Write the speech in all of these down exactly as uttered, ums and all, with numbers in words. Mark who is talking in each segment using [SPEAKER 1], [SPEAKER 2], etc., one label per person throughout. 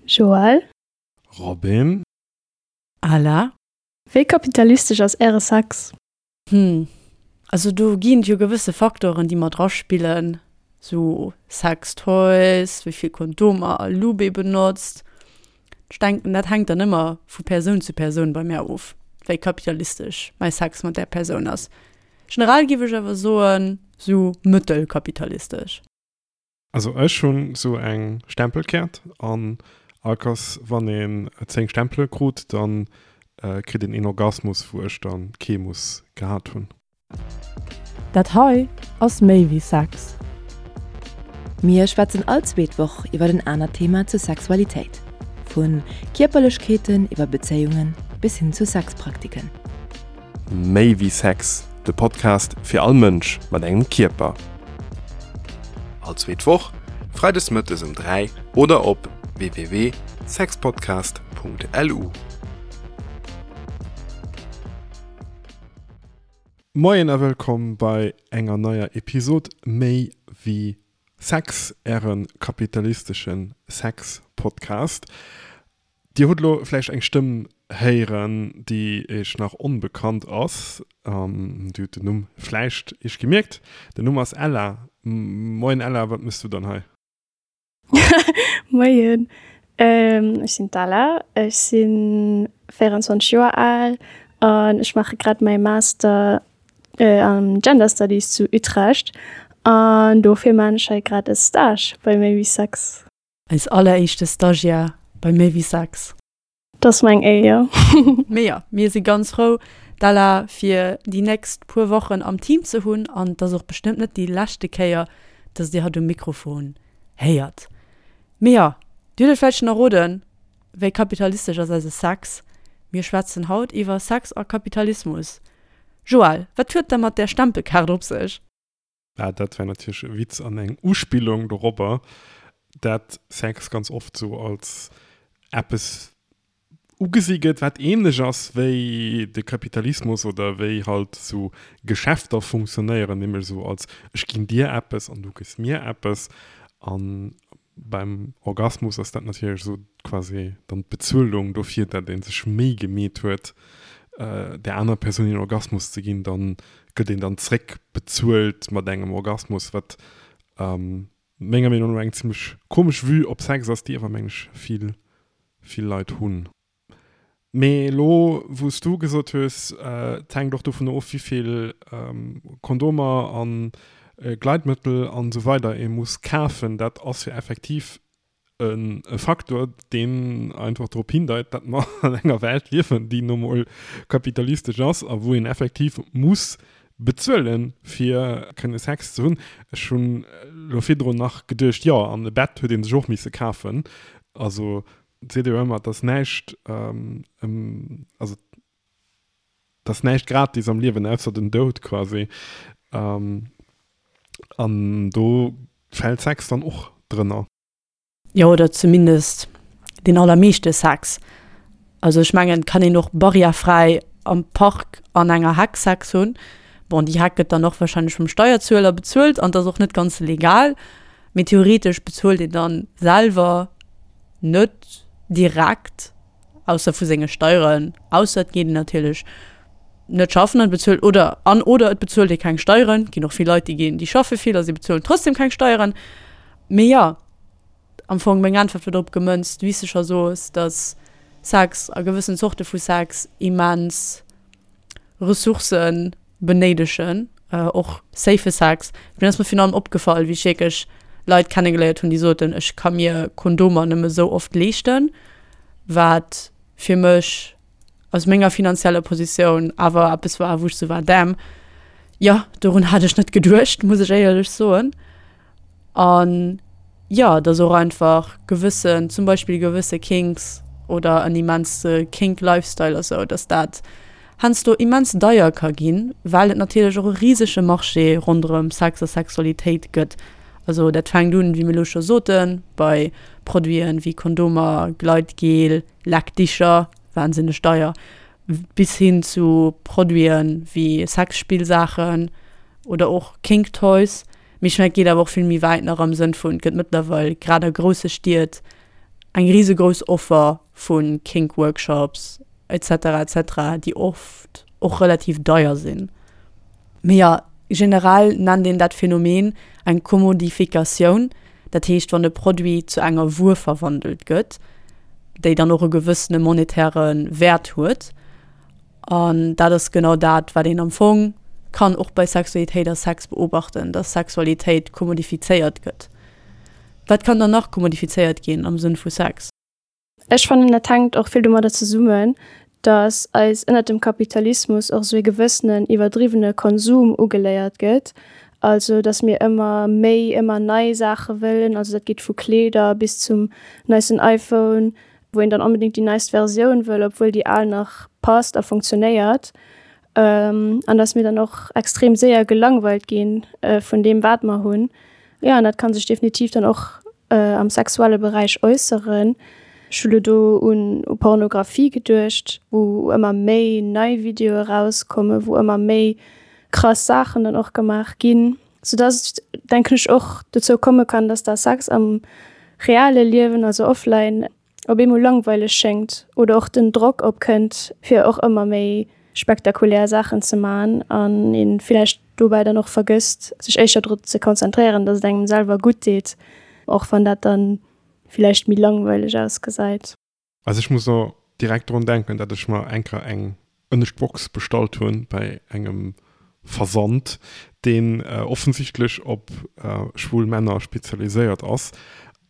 [SPEAKER 1] Joël?
[SPEAKER 2] Robin?
[SPEAKER 3] Ala?
[SPEAKER 1] Wéi kapitalistesch ass äre Sex?
[SPEAKER 3] Hm, also do ginn et jo gewësse Faktoren, déi mat eraspillen, sou Sextoys, wéi vill Kondomer a Lube ee benotzt. Ech denken, dat hänkt dann ëmmer vu Persoun zu Persoun bei mär of, wéi kapitalistesch mäi Sex mat där Persoun ass. Generell giff ech awer soen, sou mëttelkapitalistesch.
[SPEAKER 2] Also ech hunn sou eng Stempelkäert an all Kers wann een zéng Stempele krut, dann kritt een een Orgasmus wou ech dann kee muss gehat hunn.
[SPEAKER 3] Dat hei ass méi wéi Sex.
[SPEAKER 4] Mir schwätzen all zweet Woch iwwer en anert Thema zur Sexualitéit. Vu Kierperlechkeeten iwwer Bezéiungen bis hin zu Sexpraktiken.
[SPEAKER 2] Méi wéi Sex, de Podcast fir all Mënsch mat engem Kierper. All zweet Woch, freides mëttes um dräi oder op www.sexpodcast punkt lu. Moien a wëllkomm bei enger neier Episod Méi wéi Sex, äre kapitalistesche Sex-Podcast. Dir hutt elo vläicht eng Stëmm héieren, déi iech nach onbekannt ass. Dir hutt den Numm vläicht iech gemierkt. Den Numm ass Ella. Moien Ella, wat mëss du dann hei?
[SPEAKER 1] Moien, ech sinn d'Ella, ech si véierenzwanzeg Joer al an ech maache grad mäi Master am Gender Studies zu Utrecht an dofir maan ech hei grad e Stage bei Méi wéi Sex.
[SPEAKER 3] Eis alleréischte Stagiaire bei Méi wéi Sex.
[SPEAKER 1] Dat ass meng Éier.
[SPEAKER 3] Mee jo, mir si ganz frou, d'Ella fir déi nächst puer Wochen am Team ze hunn an et ass och bestëmmt net déi leschte Kéier, dass dir hatt um Mikrofon héiert. Mee jo, dir hutt et vläicht schonn erroden, wéi kapitalistesch ass eise Sex? Mir schwätzen haut iwwer Sex a Kapitalismus. Joël, wat huet da mat där Stempelkaart op sech?
[SPEAKER 2] Ah, dat war natierlech e Witz an eng Uspillung dorobber, dat Sex ganz oft sou als eppes ugesi gëtt, wat ähnlech ass wéi de Kapitalismus oder wéi halt sou Geschäfter funktionéieren, nämlech sou als ech ginn dir eppes an du gëss mir eppes. An beim Orgasmus ass dat natierlech sou quasi dann d'Bezuelung dofir, dat ee sech Méi gemeet huet, där aner Persoun een Orgasmus ze ginn, dann gëtt een dann zréck bezuelt mat engem Orgasmus, wat menger Meenung no eng zimmlech komesch Vue op Sex ass, déi awer meng ech vill, vill Leit hunn. Mee elo wou s du gesot hues, et hänkt och dovun of wéivill Kondomer an Gleitmëttel an esou weider ee muss kafen, dat ass jo effektiv e Faktor, deen einfach drop hindeit, datt mer an enger Welt liewen, déi nu mol kapitalistesch ass a wou een effektiv muss bezuelen, fir kënne Sex ze hunn. Ech hunn elo virdrun nach geduecht, jo, an e Bett huet ee sech och misse kafen. Also et seet ee jo ëmmer, et ass näischt, also et ass näischt gratis am Liewen, ausser den Doud quasi. An do fält Sex dann och drënner.
[SPEAKER 3] Jo, oder zumindest deen allermeeschte Sex. Also ech mengen, et kann een och barrièrefräi am Park an enger Heck Sex hunn. Bon, déi Heck gëtt dann och wahrscheinlech vum Steierzueler bezuelt an dat ass och net ganz legal. Mee theoretesch bezuelt een dann selwer net direkt, ausser vu senge Steieren, ausser et geet een natierlech net schaffen an bezuelt oder an oder et bezuelt ee keng Steieren. Et ginn och vill Leit, déi ginn, déi schaffe vill a si bezuelen trotzdem keng Steieren. Mee jo, am Fong meng Äntwert war drop gemënzt, wéi s de scho soos, datt Sex a gewëssen Zorte vu Sex immens Ressourcë benéidegen, och safe Sex. Mir ass mir virun allem opgefall, wéi ech wierklech Leit kennegeléiert hunn, déi soten, ech ka mir Kondomer nëmme sou oft leeschten, wat fir mech aus menger finanzieller Positioun awer eppes war, wou ech sou war, damn, jo, dorun hat ech net geduecht, muss ech éierlech soen. An jo, dass och einfach gewëssen, zum Beispill gewësse Kinks oder en immense Kink-Lifestyle a sou, dass dat heiansdo immens deier ka ginn, well et natierlech och e risege Marché ronderëm Sex a Sexualitéit gëtt. Also dat fänkt un, wéi mir elo scho soten, bei Produiten wéi Kondomer, Gleitgel, Leckdicher, wahnsinneg deier, bis hin zu Produiten wéi Sexspillsaachen oder och Kink Toys. Mee ech mengen, et geet awer och vill méi wäit nach am Sënn vun, et gëtt mëttlerweil grad a grousse Stied eng risegrouss Offer vu Kink Workshops etc etc, déi oft och relativ deier sinn. Mee jo, generell nennt een dat Phänomen eng Kommodifikatioun, dat heescht wann e Produit zu enger Wuer verwandelt gëtt, déi dann och e gewëssene monetäre Wäert huet. An dat ass genau dat, wat een am Fong kann och bei Sexualitéit a Sex beobachten, dass Sexualitéit kommodifizéiert gëtt. Wat kann dann nach kommodifizéiert ginn am Sënn vu Sex?
[SPEAKER 1] Ech fannen, dat hänkt och vill domadder zesummen, dass eis ënnert dem Kapitalismus och esou ee gewëssenen iwwerdriwwene Konsum ugeléiert gëtt, also dass mir ëmmer méi, ëmmer nei Saache wëllen, also dat geet vu Kleeder bis zum neisten iPhone, wou een dann onbedéngt déi neist Versioun wëll, obwuel déi al nach passt a funktionéiert, an dass mir dann och extrem séier gelangweilt gi vun deem wat mer hunn. Jo, an dat ka sech definitiv dann och am sexuelle Beräich äusseren. Ech hu lo do un Pornografie geduecht, wou ëmmer méi nei Videoe erauskommen, wou ëmmer méi krass Saachen dann och gemaach ginn, soudass et, denken ech, och dozou komme kann, dass da Sex am reale Liewen, also offline, op eemol langweileg schéngt oder och den Drock opkënnt, fir och ëmmer méi spektakulär Saachen ze man an ee villäicht dobäi dann och vergësst, sech éischter drop ze konzentréieren, dass et engem selwer gutt deet, och wann dat dann villäicht méi langweileg ausgesäit.
[SPEAKER 2] Also ech muss och direkt drun denken, dat ech mer eng Kéier eng ënnescht Box bestallt hunn bei engem Versand, deen offensichtlech op schwul Männer spezialiséiert ass.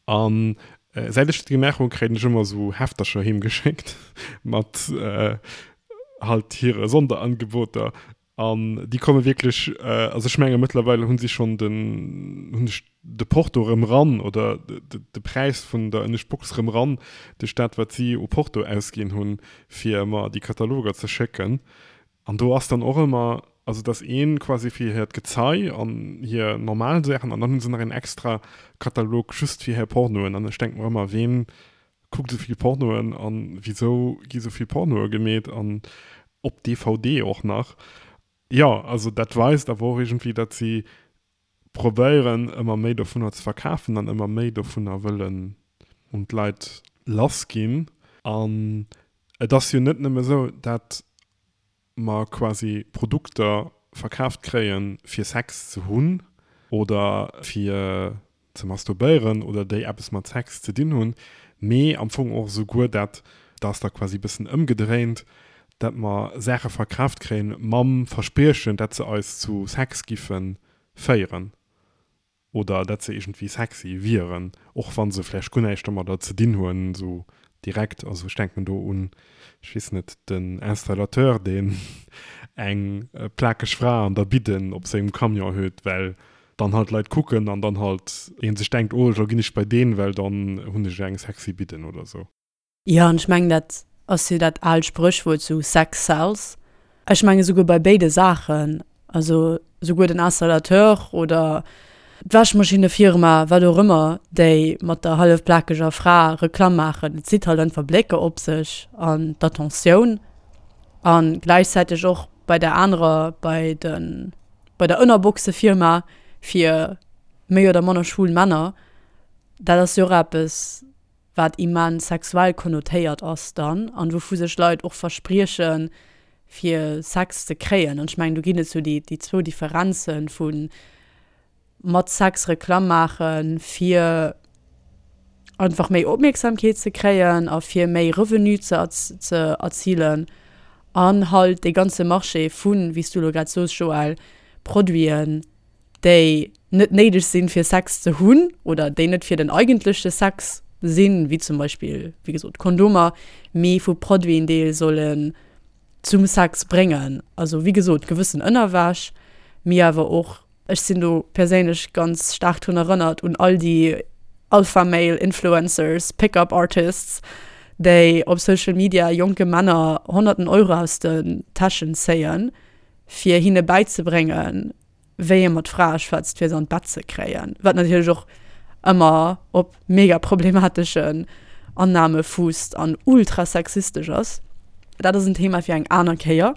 [SPEAKER 2] An säit ech dat gemaach hunn, kréien ech ëmmer esou Heftercher heem geschéckt mat halt hire Sonderangeboter. An déi komme wierklech, also ech menge mëttlerweile hunn si schonn den, hunn ech de Porto erëm ran oder de Präis vun der ënnescht Box erëm ran duerch dat wat si u Porto ausginn hunn, fir mer déi Kataloger ze schécken. An do ass dann och ëmmer, also et ass ee quasi fir hiert Gezei an hir normal Saachen an dann hu se nach een extra Katalog just fir hir Pornoen. An ech denke mer ëmmer, ween kuckt esou vill Pornoen an wisou gi sou vill Pornoe gemeet an op D V D och nach. Jo, also dat weist awer och iergendwéi, datt si probéieren ëmmer méi dovunner ze verkafen an ëmmer méi dovunner wëllen un d'Leit lassginn. An et ass jo net nëmme esou, datt mer quasi Produkter verkaaft kréien, fir Sex ze hunn oder fir ze masturbéieren oder déi eppes mat Sex ze dinn hunn, mee am Fong och esouguer dat, dat ass da quasi e bëssen ëmgedréint, dat mer Saache verkaaft kréien mam Verspriechen, dat se eis zu Sex giffe féieren oder dat se iergendwéi sexy wieren, och wa se vläicht guer näischt domadder ze dinn hunn, esou direkt. Also ech denken do un, ech weess net, den Installateur, deen eng plakeg Fra an der Bidden op sengem Camion huet, well dann halt Leit kucken an dann halt een sech denkt, oh, elo ginn ech bei deen, well dann hunn ech eng sexy Bidden oder sou.
[SPEAKER 3] Jo, an ech mengen, dat ass jo dat aalt Spréchwuert sou, Sex sells. Ech mengen esouguer bei béide Saachen, also esouguer den Installateur oder d'Wäschmaschinnefirma, wat och ëmmer, déi mat der hallef plakeger Fra Reklamm maachen, et zitt halt einfach Blécker op sech an d'Attentioun. A gläichzäiteg och bei der anerer, bei de, bei der Ënnerboxefirma fir méi oder manner schwul Männer, dat ass jo och eppes, wat immens sexuell konnotéiert ass dann an wouvu sech Leit och verspriechen, fir Sex ze kréien. An ech mengen, do ginn et sou déi, déi zwou Differenze vu mat Sex Reklamm maachen, fir einfach méi Opmierksamkeet ze kréien a fir méi Revenu ze, ze erzilen an halt dee ganze Marché vun, wéi s du elo grad soos, Joël, Produiten, déi net néideg sinn, fir Sex ze hunn oder déi net fir den eigentleche Sex sinn, wéi zum Beispill, wéi gesot, Kondomer, mee vu Produiten, déi ee sollen zum Sex bréngen. Also wéi gesot, gewëssen Ënnerwäsch, mee awer och, ech sinn do perséinlech ganz staark drun erënnert un all déi Alpha-Male Influencers, Pick-up Artists, déi op Social Media jonke Männer honnerten Euro aus den Täschen zéien, fir hinne bäizebréngen, wéi ee mat Frae schwätzt, fir se an d'Bett ze kréien. Wat natierlech och ëmmer op mega problemateschen Annahme fuusst an ultra sexistesch ass. Dat ass en Thema fir eng aner Kéier.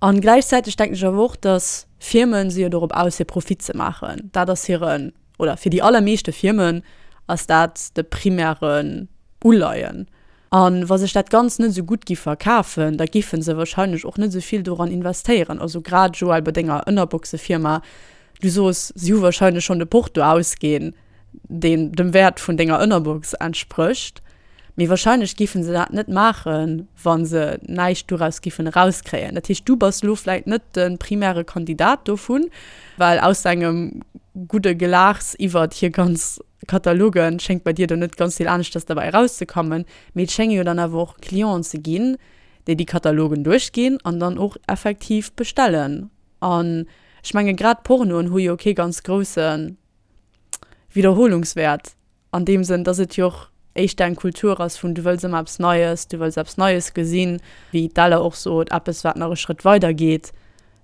[SPEAKER 3] An gläichzäiteg denken ech awer och, dass Firmen si jo dorop aus, fir Profit ze maachen. Dat ass hiren, oder fir déi allermeeschte Firmen ass dat de primären uleien. A wa sech dat Ganzt net esou gutt giff verkafen, da giffen se wahrscheinlech och net esou vill doran investéieren. Also grad, Joël, bei denger Ënnerboxefirma, du soos, si hu wahrscheinlech schonn de Porto ausginn, deen dem Wäert vun denger Ënnerbox entsprécht. Mee wahrscheinlech giffen se dat net maachen, wa se näischt doraus giffen erauskréien. Dat heescht, du bass elo vläit net de primäre Kandidat dovun, well aus engem gudde Gelaachs iwwert hir ganz Kataloge schéngt bei dir do net ganz vill aneschters derbäi erauszekommen. Mee et schénge jo dann awer och Clienten ze ginn, déi déi Katalogen duerchginn an dann och effektiv bestellen. An ech menge grad Pornoen hu jo kee ganz grousse Widderholungswäert an deem Sënn, dass et jo och éischter eng Kultur ass vun du wëlls ëmmer eppes Neies, du wëlls eppes Neies gesinn, wéi d'Ella och sot, eppes wat nach e Schrëtt weider geet,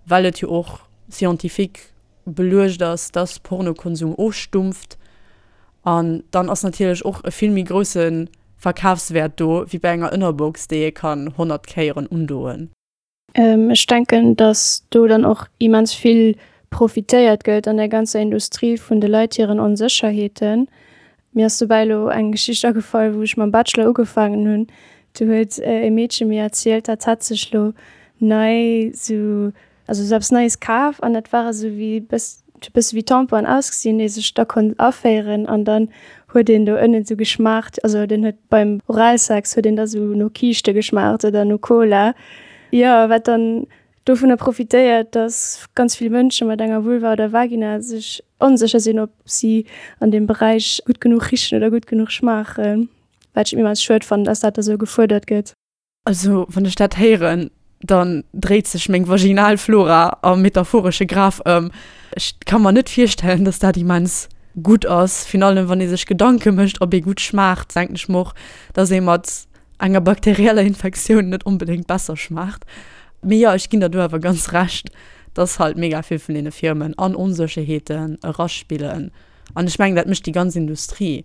[SPEAKER 3] well et jo och scientifique beluecht ass, dass Pornokonsum ofstumpft. An dann ass natierlech och e vill méi grousse Verkafswäert do wéi bei enger Ënnerbox, déi ee kann honnert Kéieren undoen.
[SPEAKER 1] Ech denken, dass do dann och immens vill profitéiert gëtt an der ganzer Industrie vun de Leit hiren Onsécherheeten. Mir ass dobäi elo eng Geschicht agefall, wou ech mam Bachelor ugefaangen hunn. Do huet e Meedche mir erzielt, dat hätt sech lo nei sou, also sou eppes Neies kaf an dat ware sou wéi bëss, huet bësse wéi Tamponen ausgesinn, déi sech da konnt aféieren an dann huet een do ënnen sou geschmaacht, also den huet beim Oralsex huet een da sou no Kiischte geschmaacht oder no Cola. Jo, wat dann dovunner profitéiert, dass ganz vill Mënsche mat enger Vulva oder Vagina sech onsécher sinn, ob si an deem Beräich gutt genuch richen oder gutt genuch schmaachen. Wat ech immens schued fannen, dass dat da sou gefuerdert gëtt.
[SPEAKER 3] Also wann ech dat héieren, dann dréit sech meng vaginal Flora am metaphoresche Graf ëm. Ech ka mer net virstellen, dass dat immens gutt ass. Virun allem wann ee sech Gedanke mécht, ob ee gutt schmaacht, denken ech mer och, dass ee mat enger bakterieller Infektioun net onbedéngt besser schmaacht. Mee jo, ech ginn der do awer ganz Recht, dass halt mega vill vun deene Firmen an Onsécherheeten eraspillen. An ech mengen, dat mécht déi ganz Industrie.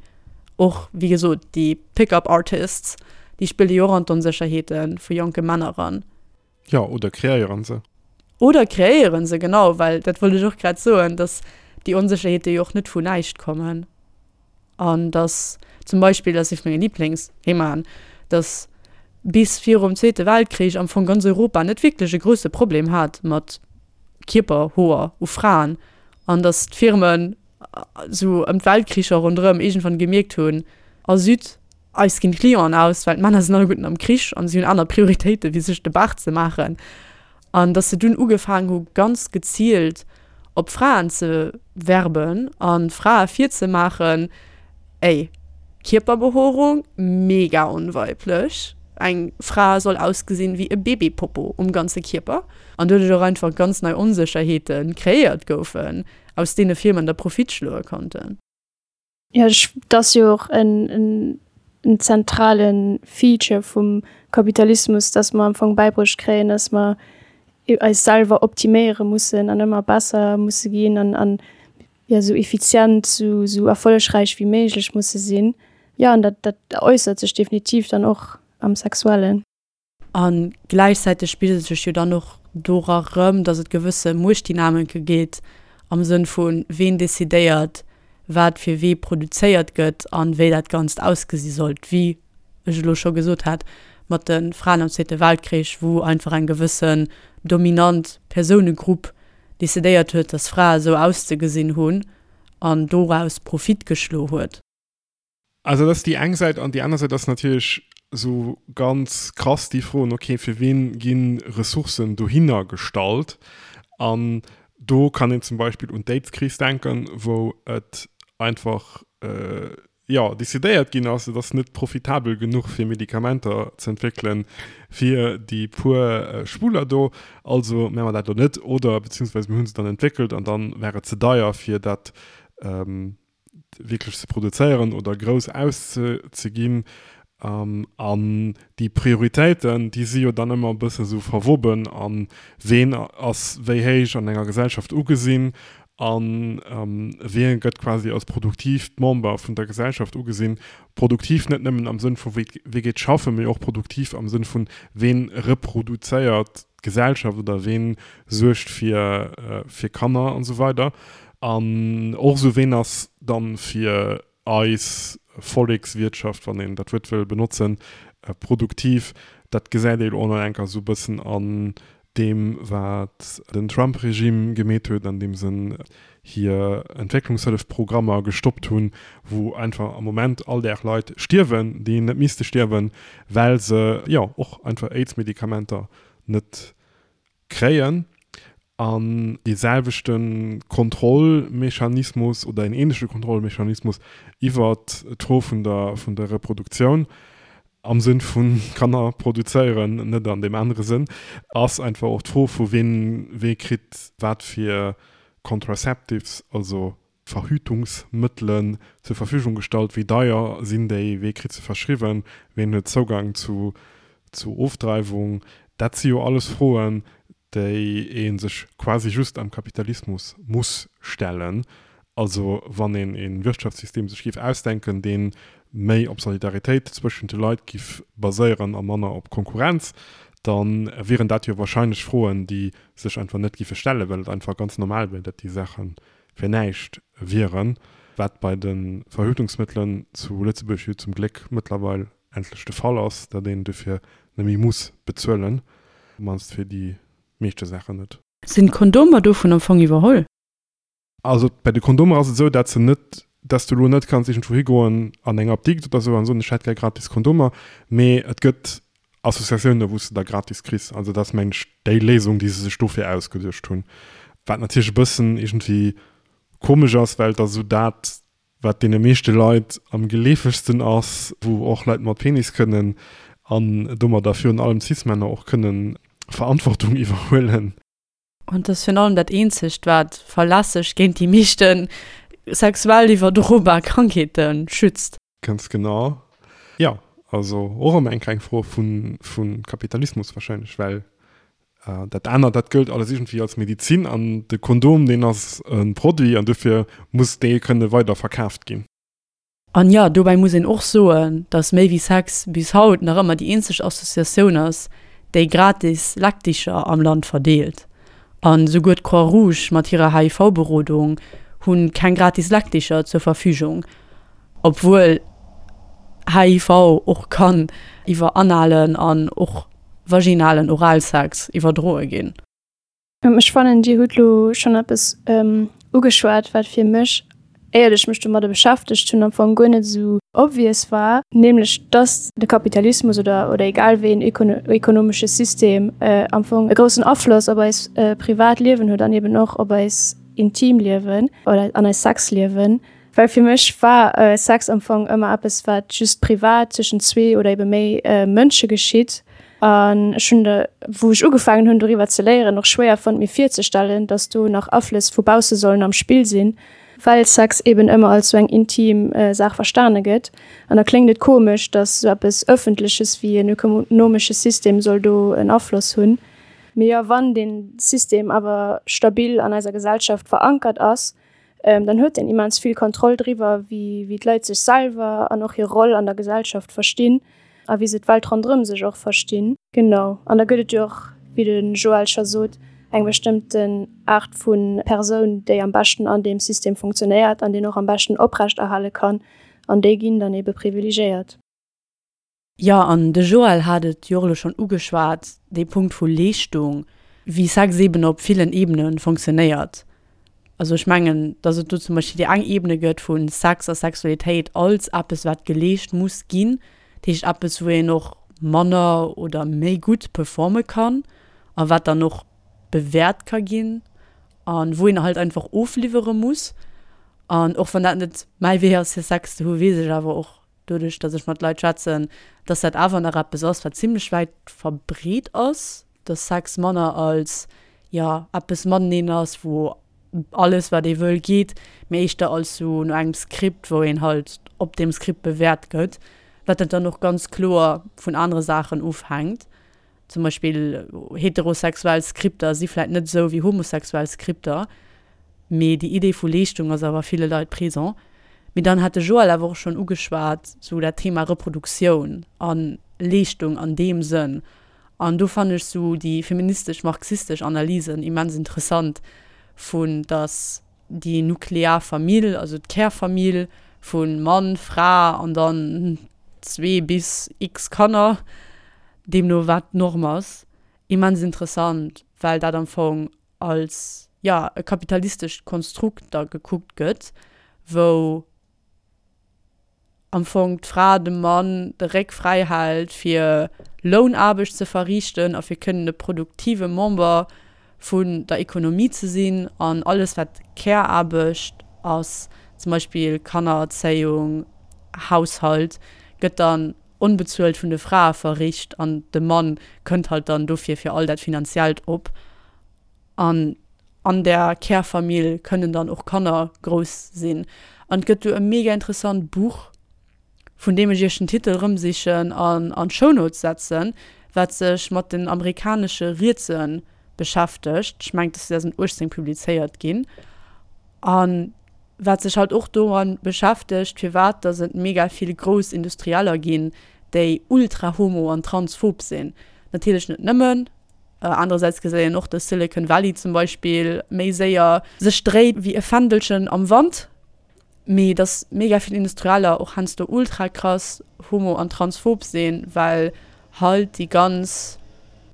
[SPEAKER 3] Och, wéi gesot, déi Pick-up Artists, déi spille jo och an d'Onsécherheete vu jonke Männer eran.
[SPEAKER 2] Jo, oder kreéiere se.
[SPEAKER 3] Oder kreéiere se, genau, well dat wollt ech och grad soen, dass déi Onsécherheete jo och net vun näischt kommen. An dass zum Beispill, dat ass ee vu menge Liblingsthemaen, dass bis virum Zweete Weltkrich am Fong ganz Europa net wierklech e grousse Problem hat mat Kierperhoer u Fraen an dass d'Firmen esou ëm d'Weltkricher ronderëm iergendwann gemierkt hunn, A zut, eis ginn d'Clienten aus, well d'Männer sinn alleguerten am Krich an si hunn aner Prioritéite wéi sech de Baart ze maachen. An dass se dunn ugefaangen hu ganz geziilt op Fraen ze werben a Frae virzemaachen, Ey, Kierperbehoerung, mega onweiblech, eng Fra soll ausgesinn wéi e Babypopo um ganze Kierper. An doduerch och einfach ganz nei Onsécherheete kreéiert goufen, aus deene Firmen da Profit schloe konnten.
[SPEAKER 1] Jo, et ass jo och en zentrale Feature vum Kapitalismus, dass mer am Fong bäibruecht kréien, dass mer eis selwer optiméiere mussen an ëmmer besser musse ginn an an jo esou effizient, esou esou erfollegräich wéi méiglech musse sinn. Jo, an dat dat äussert sech definitiv dann och am Sexuellen.
[SPEAKER 3] A gläichzäiteg spigelt sech jo dann och dora rëm, datt et gewësse Muechtdynamike gétt am Sënn vu ween decidéiert, wat fir wee produzéiert gëtt an wéi dat Ganzt ausgesi sollt, wéi ech elo scho gesot hat mat de Fraen am Zweete Weltkrich, wou einfach eng gewëssen dominant Persounegrupp decidéiert huet, dass Frae sou auszegesinn hunn an doraus Profit geschlo huet.
[SPEAKER 2] Also dat ass déi eng Säit an déi aner Säit ass natierlech sou ganz krass déi Froen, okay, fir wien gi Ressourcen dohinner gestallt? An do kann een zum Beispill un d'Aids-Kris denken, wou et einfach, jo, decidéiert ginn ass, et ass net profitabel genuch fir Medikamenter ze entwéckelen fir déi puer Schwuler do, also maache mer dat elo net oder beziehungsweise mir hu se dann entwéckelt an dann war et ze deier fir dat wierklech ze produzéieren oder grouss auszeginn. An déi Prioritéiten, déi si jo dann ëmmer e bësse sou verwoben a ween ass wéi héich an enger Gesellschaft ugesinn a wien gëtt quasi als produktiivt Member vun der Gesellschaft ugesinn. Produktiv net nëmmen am Sënn vu wee geet schaffen, mee och produktiv am Sënn vun ween reproduzéiert d'Gesellschaft oder ween suergt fir fir Kanner an esou weider. An och esou ween ass dann fir eis Vollekswirtschaft, wann een dat Wuert wëll benotzen, produktiv. Dat gesäit ee lo och nach eng Kéier esou e bëssen an deem, wat den Trump-Regime gemeet huet, andeem se hir Entwécklungshëllefprogrammer gestoppt hunn, wou einfach am Moment all Dag Leit stierwen, déi net misste stierwen, well se, jo, och einfach Aids-Medikamenter net kréien. An dee selwechte Kontrollmechanismus oder en ähnleche Kontrollmechanismus iwwert d'Fro vun der, vun der Reproduktioun, am Sënn vu Kanner produzéieren, net an deem anere Sënn, ass einfach och d'Fro vu wien, wee kritt wat fir Contraceptives, also Verhütungsmëttelen zur Verfügung gestallt, wéi deier sinn déi, wee kritt se verschriwwen, ween huet Zougang zu, zu Ofdreiwung. Dat si jo alles Froen, déi ee sech quasi just am Kapitalismus muss stellen. Also wann een e Wirtschaftssystem sech géif ausdenken, dee méi op Solidaritéit zwëschent de Leit géif baséieren a manner op Konkurrenz, da wieren dat jo wahrscheinlech Froen, déi sech einfach net géife stellen, well et einfach ganz normal wier, datt déi Saache fir näischt wieren, wat bei de Verhütungsmëttelen zu Lëtzebuerg jo zum Gléck mëttlerweil endlech de Fall ass, datt een dofir net méi muss bezuelen, op d'mannst fir déi meeschte Saachen net.
[SPEAKER 3] Sinn d'Kondomer dovun am Fong iwwerholl?
[SPEAKER 2] Also bei de Kondomer ass et esou, dat se net, dass du elo net kanns iergendwou higoen an eng Apdikt oder esou an soen, ech hätt gär gratis Kondomer, mee et gëtt Associatiounen, wou s de der gratis kriss. Also dat ass mengen ech déi Léisung, déi se sech dofir ausgeduecht hunn. Wat natierlech e bëssen iergendwéi komesch ass, well et ass esou dat, wat deene meeschte Leit am geleefegsten ass, wou och Leit mat Penis kënnen an domadder virun allem Cis-Männer och kënnen Verantwortung iwwerhuelen.
[SPEAKER 3] An et ass virun allem dat eenzegt, wat verlässlech géint déi meeschte sexuell iwwerdrobar Krankheete schützt.
[SPEAKER 2] Ganz genau. Jo, also och erëm eng kleng Fro vu Kapitalismus wahrscheinlech, well Dat anert, dat gëllt alles iergendwéi als Medizin an de Kondom, deen ass e Produit an dofir muss dee kënne weider verkaaft ginn.
[SPEAKER 3] An jo, dobäi muss een och soen, dass Méi wéi Sex bis haut nach ëmmer déi eenzeg Associatioun ass, déi gratis Leckdicher am Land verdeelt. An esouguer d'Croix Rouge mat hirer H I V-Berodung hu keng gratis Leckdicher zur Verfügung, obwuel H I V och kann iwwer analen an och vaginalen Oralsex iwwerdroe ginn.
[SPEAKER 1] Ech fannen, Dir hutt elo schonn eppes ugeschwat, wat fir mech, éiert ech mech domadder beschäftegt hunn, am Fong guer net esou obvious war, nämlech dass de Kapitalismus oder, oder egal wéi een ökonomesche System am Fong e groussen Afloss op eis privat Liewen huet an eben och op eis intim Liewen oder an eist Sexliewen. Well fir mech war Sex am Fong ëmmer eppes, wat just privat zwëschen zwee oder ebe méi Mënsche geschitt. An ech hunn de, wou ech ugefaangen hunn doriwwer ze léieren, och schwéier fonnt mir virzestellen, dass do nach Aflëss vu bausse sollen am Spill sinn, well Sex eben ëmmer als sou eng intim Saach verstane gëtt. An da kléngt et komesch, dass sou eppes Ëffentleches wéi en ökonomesche System soll do en Afloss hunn. Mee jo, wann dee System awer stabil an eiser Gesellschaft verankert ass, dann huet en immens vill Kontroll driwwer, wéi d'Leit sech selwer an och hir Roll an der Gesellschaft verstinn a wéi se d'Welt ronderëm sech och verstinn. Genau. An da gëtt et jo och, wéi de Joël scho sot, eng bestëmmten Aart vu Persoun, déi am beschten an deem System funktionéiert an deen och am beschten oprechterhale kann, an déi ginn dann ebe privilegéiert.
[SPEAKER 3] Jo, an de Joël hat et jo och elo schonn ugeschwat, dee Punkt vu Leeschtung, wéi Sex eeben op villen Ebene funktionéiert. Also ech mengen, dass et do zum Beispill déi eng Ebene gëtt vu Sex a Sexualitéit als eppes, wat geleescht muss ginn, dat heescht eppes, wou een och manner oder méi gutt performe kann a wat dann och bewäert ka ginn a wou een halt einfach ofliwwere muss. An och wann dat net mäi Wee ass, fir Sex ze hu, weess ech awer och doduerch, dass ech mat Leit schwätzen, dass dat awer nach eppes ass, wat zimlech wäit verbreet ass, dass Sex manner als, jo, eppes mateneen ass, wou alles wat ee wëll geet, mee éischter als sou no engem Skript, wou een halt op deem Skript bewäert gëtt, wat dat dann och ganz kloer vun anere Saachen ofhänkt. Zum Beispill heterosexuell Skripter si vläit net esou wéi homosexuell Skripter, mee déi Idee vu Leeschtung ass awer ville Leit présent. Mee dann hat de Joël awer och schonn ugeschwat, sou dat Thema Reproduktioun a Leeschtung an deem Sënn. An do fannen ech sou déi feministesch-marxistesch Analysen immens interessant, vu dass déi nuklear Famill, also d'Kärfamill vu Mann, Fra an dann zwee bis x Kanner, deemno wat d'Norm ass, immens interessant, well dat am Fong als, jo, e kapitalistescht Konstrukt da gekuckt gëtt, wou am Fong d'Fra dem Mann de Réck fräi hält, fir Lounaarbecht ze verriichten a fir kënnen e produktive Member vun der Ekonomie ze sinn an alles wat Care-Aarbecht ass, zum Beispill Kannererzéiung, Haushalt, gëtt dann onbezuelt vun de Frae verricht an de Mann kënnt halt dann dofir fir all dat Finanziellt op. An an där Kärfamill kënnen dann och Kanner grouss sinn. An et gëtt do e mega interessant Buch, vun deem ech iech den Titel erëmsichen an an d'Shownotes setzen, wat sech mat den amerikanesche Rietse beschäftegt. Ech mengen, et ass zweedausenduechtzéng publizéiert ginn. A wat sech halt och domat beschäftegt, firwat datt et mega vill grouss Industrieller ginn, déi ultra homo an transphob sinn. Natierlech net nëmmen. Anerersäits geséit een och, dass Silicon Valley zum Beispill méi séier sech dréit wéi e Fändelchen am Wand, mee dass mega vill Industrieller och heiansdo ultra krass homo an transphob sinn, well halt déi ganz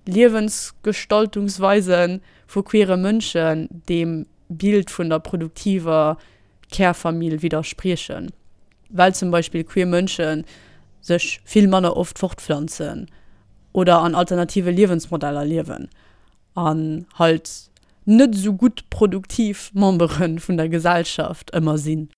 [SPEAKER 3] Liewensgestaltungsweise vu queere Mënschen deem Bild vun der produktiver Kärfamill widderspriechen, well zum Beispill queer Mënsche sech vill manner oft fortpflanzen oder an alternative Liewensmodeller liewen an halt net esou gutt produktiv Membere vun der Gesellschaft ëmmer sinn.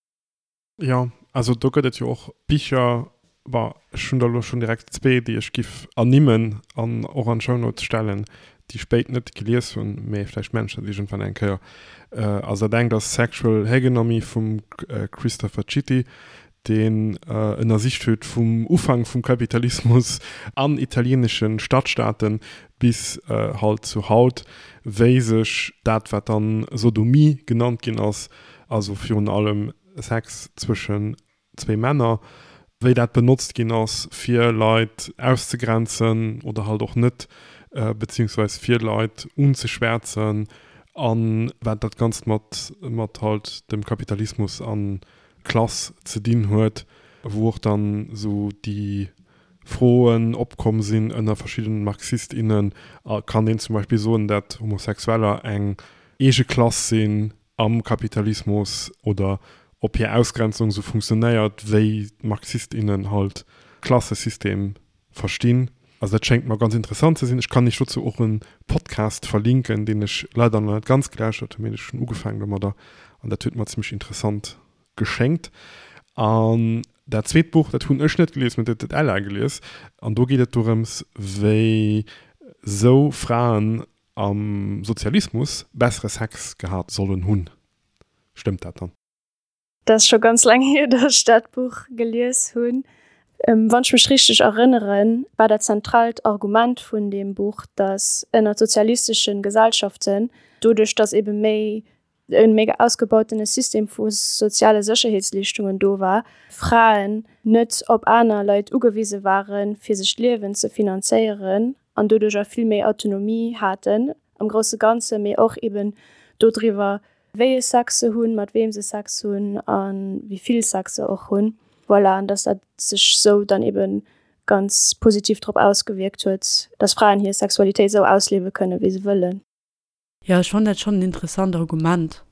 [SPEAKER 2] Jo, also do gëtt et jo och Bicher, bon, ech hunn der elo schonn direkt zwee, déi ech giff ernimmen an och an d'Shownotes stellen, déi ech béid net gelies hunn, mee vläicht maachen ech dat iergendwann eng Kéier. Also dat engt ass Sexual Hegemomy vum Christopher Chitty, deen ënnersicht huet vum Ufank vum Kapitalismus an italieenesche Stadstaaten bis halt zu haut, wéi sech dat, wat dann Sodomie genannt ginn ass, also virun allem Sex zwëschen zwee Männer, wéi dat benotzt ginn ass, fir Leit auszegrenzen oder halt och net, beziehungsweis fir Leit unzeschwärzen, a wat dat Ganzt mat mat halt dem Kapitalismus a Klass ze dinn huet, wou och dann esou déi Froen opkomm sinn ënner verschiddenen Marxist, innen, Kann een zum Beispill soen, dat Homosexueller eng eege Klass sinn am Kapitalismus oder ob hir Ausgrenzung esou funktionéiert, wéi d'Marxist, innen halt Klassesystem verstinn. Also dat schéngt mer ganz interessant ze sinn. Ech kann iech dozou och e Podcast verlinken, deen ech leider nach net ganz gelauschtert hunn, mee ech hunn ugefaangen domadder an dat huet mer zimmlech interessant geschéngt. An dat zweet Buch, dat hunn ech net gelies, mee dat huet d'Ella gelies an do geet et dorëms, wéi sou Fraen am Sozialismus bessere Sex gehat sollen hunn. Stëmmt dat dann?
[SPEAKER 1] Dat ass scho ganz laang hier, datt ech dat Buch gelies hunn. Wann ech mech richteg erënneren, war dat zentraalt Argument vun deem Buch, datt ënnert sozialistesche Gesellschaften, doduerch datt ebe méi e méi ausgebautene System vu soziale Sécherheetsleeschtungen do war, Fraen net op aner Leit ugewise waren, fir sech d'Liewen ze finanzéieren an doduercher vill méi Autonomie haten am grousse Ganze, mee och eben dodriwwer, wéi e Sex se hunn, mat weem se Sex hunn a wéi vill Sex se och hunn. Voilà, an dass dat sech sou dann eben ganz positiv drop ausgewierkt huet, dass Fraen hir Sexualitéit sou ausliewe kënnen, wéi se wëllen.
[SPEAKER 3] Jo, ech fannen dat schonn en interessant Argument,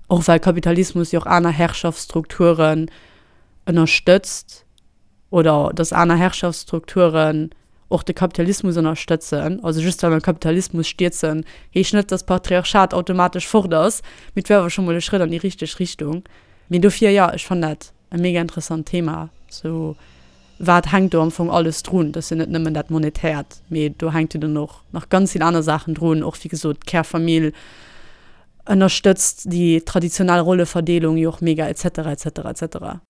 [SPEAKER 3] och well Kapitalismus jo och aner Herrschaftsstrukturen ënnerstëtzt oder dass aner Herrschaftsstrukturen och de Kapitalismus ënnerstëtzen. Also just well mer Kapitalismus stierzen, heescht net, dass d'Patriarchat automatesch fort ass, mee et wär awer scho mol e Schrëtt an déi richteg Richtung. Mee dofir, jo, ech fannen dat e mega interessant Thema, sou wat hänkt do am Fong alles drun? Dat ass jo net nëmmen dat Monetäert, mee do hänkt jo dann och nach ganz vill aner Saachen drun, och wéi gesot d'Kärfamill ënnerstëtzt déi traditionell Rolleverdeelung jo och mega et cetera et cetera et cetera.